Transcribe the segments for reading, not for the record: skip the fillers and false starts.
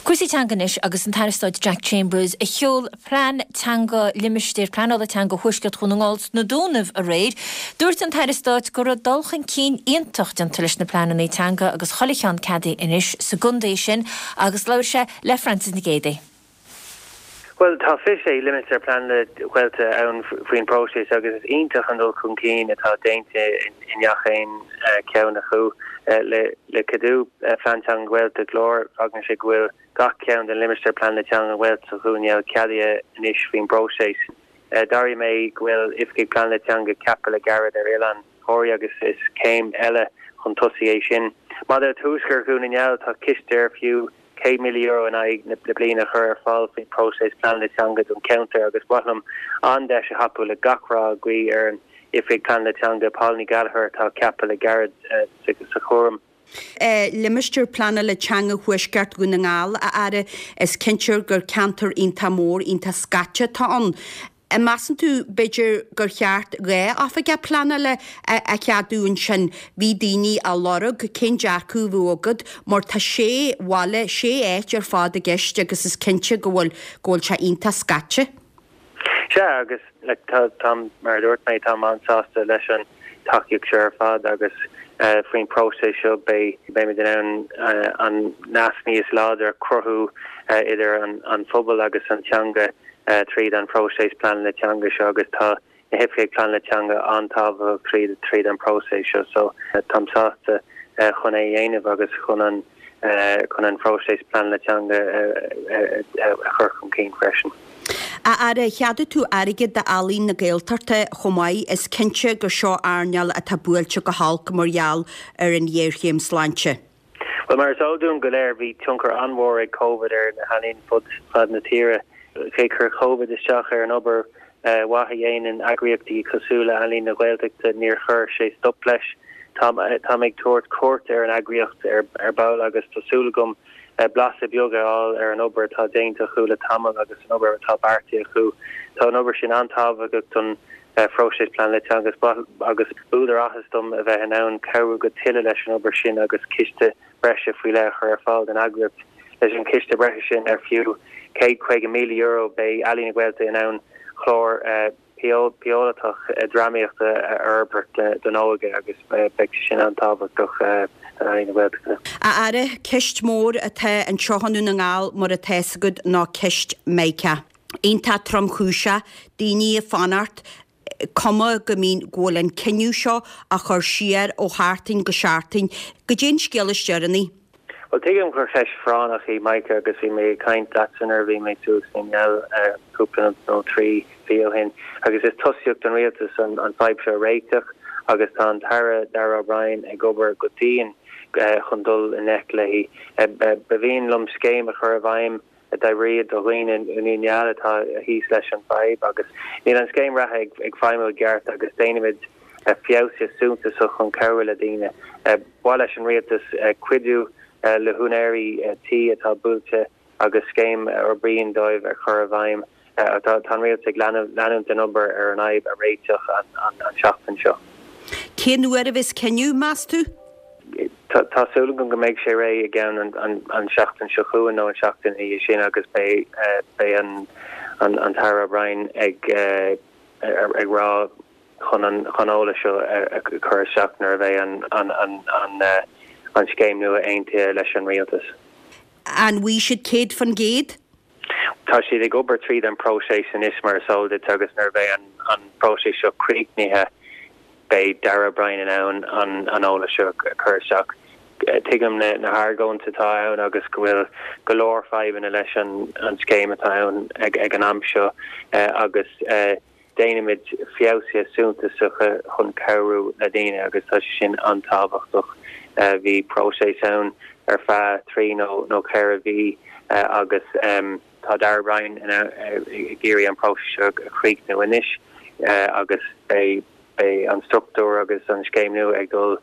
Cúrsaí teanga anois agus an tAire Stáit Jack Chambers a sheol plean teanga limistéar pleanála teanga Thuaisceart Dhún na nGall sna Dúnaibh aréir. Dúirt an tAire Stáit go raibh dul chun cinn iontach déanta leis na pleananna teanga agus chuile cheann ceadaithe anois sa gcontae sin agus labhair sé le Frances Nic Géadaigh. Bhuel, tá 26 limistéar pleanála Gaeltachta ann faoin bpróiseas agus is iontach an dul chun cinn atá déanta i ngach aon cheann acu. Le ceadú Phlean Teanga Ghaeltacht Láir, fágann sé go bhfuil gach ceann den limistéar pleanála teanga Ghaeltachta Dhún na nGall ceadaithe anois faoin bpróiseas. D'airigh mé go bhfuil Oifigigh Pleanála Teanga ceaptha le gairid ar Oileán Thoraí agus is céim eile chun tosaigh é sin. Maidir le Tuaisceart Dhún na nGall, tá ciste ar fiú €100,000 in aghaidh na bliana a chur ar fáil faoin bpróiseas pleanála teanga don cheantar agus ba mhaith liom an deis a thapú le gach rath a ghuí ar an Oifigeach Pleanála Teanga, Paula Ní Ghallchóir atá ceaptha le gairid sa chúram. Limistéar Pleanála Teanga Thuaisceart Dhún na nGall, a Aire, is cinnte gur ceantar iontach mór, iontach scaite atá ann. An measann tú, b'fhéidir, gur cheart 2 oifigeach pleanála a cheadú ansin? Bhí daoine á lorg, cén dearcadh a bheadh agat? Mar tá sé bhaile, sé áit ar fad i gceist agus is cinnte go bhfuil, go bhfuil sé iontach scaite. Sea, agus like tá, táim, mar a dúirt mé, táim an-sásta leis an tacaíocht seo ar fad agus faoin bpróiseas seo beidh, beimid in ann an nasc níos láidre a chruthú idir an phobal agus an teanga. tríd an phróiseas pleanála teanga seo agus tá na hoifigigh pleanála teanga an-tábhachtach tríd tríd an próiseas seo so táim sásta chun é a dhéanamh agus chun an chun an phróiseas pleanála teanga a chur chun cinn freisin. A Aire, cheadaigh tú airgead d'Ealaín na Gaeltachta chomh maith. Is cinnte gur seo earnáil atá buailte go holc mar gheall ar an ghéarchéim sláinte. Bhuel, mar is eol dúinn go léir, bhí tionchar an-mhór ag Covid ar na healaíona fud fad na tíre. Cé chuir Covid isteach ar an obair mhaith a dhéanann eagraíochtaí cosúil le Ealaín na Gaeltachta, níor chuir sé stop leis. Táim ag tabhairt cuairt ar an eagraíocht ar ball agus tá súil agam blaiseadh beag a fháil ar an obair atá déanta acu le tamall agus an obair atá beartaithe acu. Tá an obair sin an-tábhachtach don phróiseas pleanála teanga agus b'údar áthais dom a bheith in ann cabhrú go tuilleadh leis an obair sin agus ciste breise faoi leith a chur ar fáil don eagraíocht. Leis an chiste breise sin, ar fiú €150,000, beidh Ealaín na Gaeltachta in ann clár píolótach drámaíochta a fhorbairt don óige agus beidh sé sin an-tábhachtach d'Ealaín na Gaeltachta. A Aire, ceist mhór atá anseo i nDún na nGall mar atá fhios agat ná ceist Mica. iontach tromchúiseach, daoine ag fanacht, cuma go mbíonn, go bhfuil an cinneadh seo á chur siar ó sheachtain go seachtain. Goidé an scéal is deireanaí? Bhuel, tuigim gur cheist phráinneach í Mica agus bhí mé ag caint leatsa nuair a bhí mé suas i nGall cúpla nó 3 mhí ó shin agus is tosaíocht don Rialtas an fadhb seo a réiteach agus tá an tAire Darragh O'Brien ag obair go dian chun dul i ngleic léi. Ba mhian liom scéim a chur i bhfeidhm a d'oibreodh do dhaoine i nDún na nGall atá thíos leis an bhfadhb agus níl an scéim reatha ag feidhmiú i gceart agus déanfaimid feabhsuithe suntasach chun cabhrú le daoine. Ba mhaith leis an Rialtas cuidiú le húinéirí tí atá buailte agus scéim a oibríonn dóibh a chur i bhfeidhm. Tá an Rialtas ag leanúint den obair ar an fhadhb a réiteach an tseachtain seo. Cén uair a bheas cinneadh, meas tú? Tá súil agam go mbeidh sé réidh i gceann an seachtain seo chugainn nó an seachtain ina dhiaidh sin agus beidh an tAire O'Brien ag rá chun an eolas seo a chur isteach nuair a bheidh an scéim nua aontaithe leis an Rialtas. An bhfaighidh siad 100%? Tá siad ag obair tríd an bpróiseas anois mar is eol duit agus nuair a bheidh an próiseas seo críochnaithe beidh Darragh O'Brien in ann an eolas seo a chur isteach. Tuigim na hargóintí atá ann agus go bhfuil go leor fadhbanna leis an scéim atá ann ag an am seo agus déanfaimid feabhsuithe suntasacha chun cabhrú le daoine agus tá sé sin an-tábhachtach. Bhí próiseas ann ar feadh 3 nó 4 mhí agus tá Darragh O'Brien ag iarraidh an próiseas seo a chríochnú anois agus beidh Beidh an struchtúr agus an scéim nua ag dul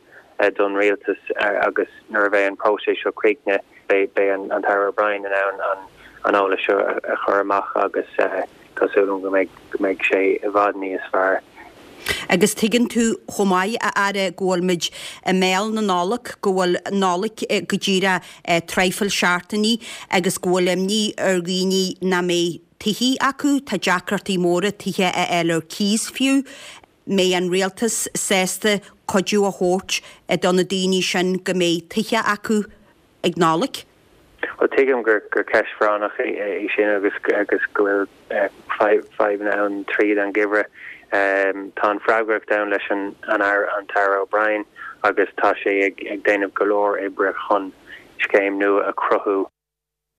don Rialtas agus nuair a bheidh an próiseas seo críochnaithe beidh an tAire O'Brien in ann an eolas seo a chur amach agus tá súil agam go mbeidh sé i bhfad níos fearr. Agus tuigeann tú chomh maith, a Aire, go bhfuil muid i mbéal na Nollag, go bhfuil Nollaig go díreach traidhfil seachtainí agus go bhfuil imní ar dhaoine nach mbeidh tithe acu, tá deacrachtaí móra tithe a fháil ar cíos fiú. Mbeidh an rialtas sásta cuidiú a thabhairt do na daoine sin go mbeidh tithe acu ag Nollaig? Bhuel, tuigim gur ceist phráinneach í sin agus agus go bhfuil fadhbanna ann tríd an gheimhreadh. Tá an freagracht ann leis an an tAire O'Brien agus tá sé ag déanamh go leor oibre chun scéim nua a chruthú.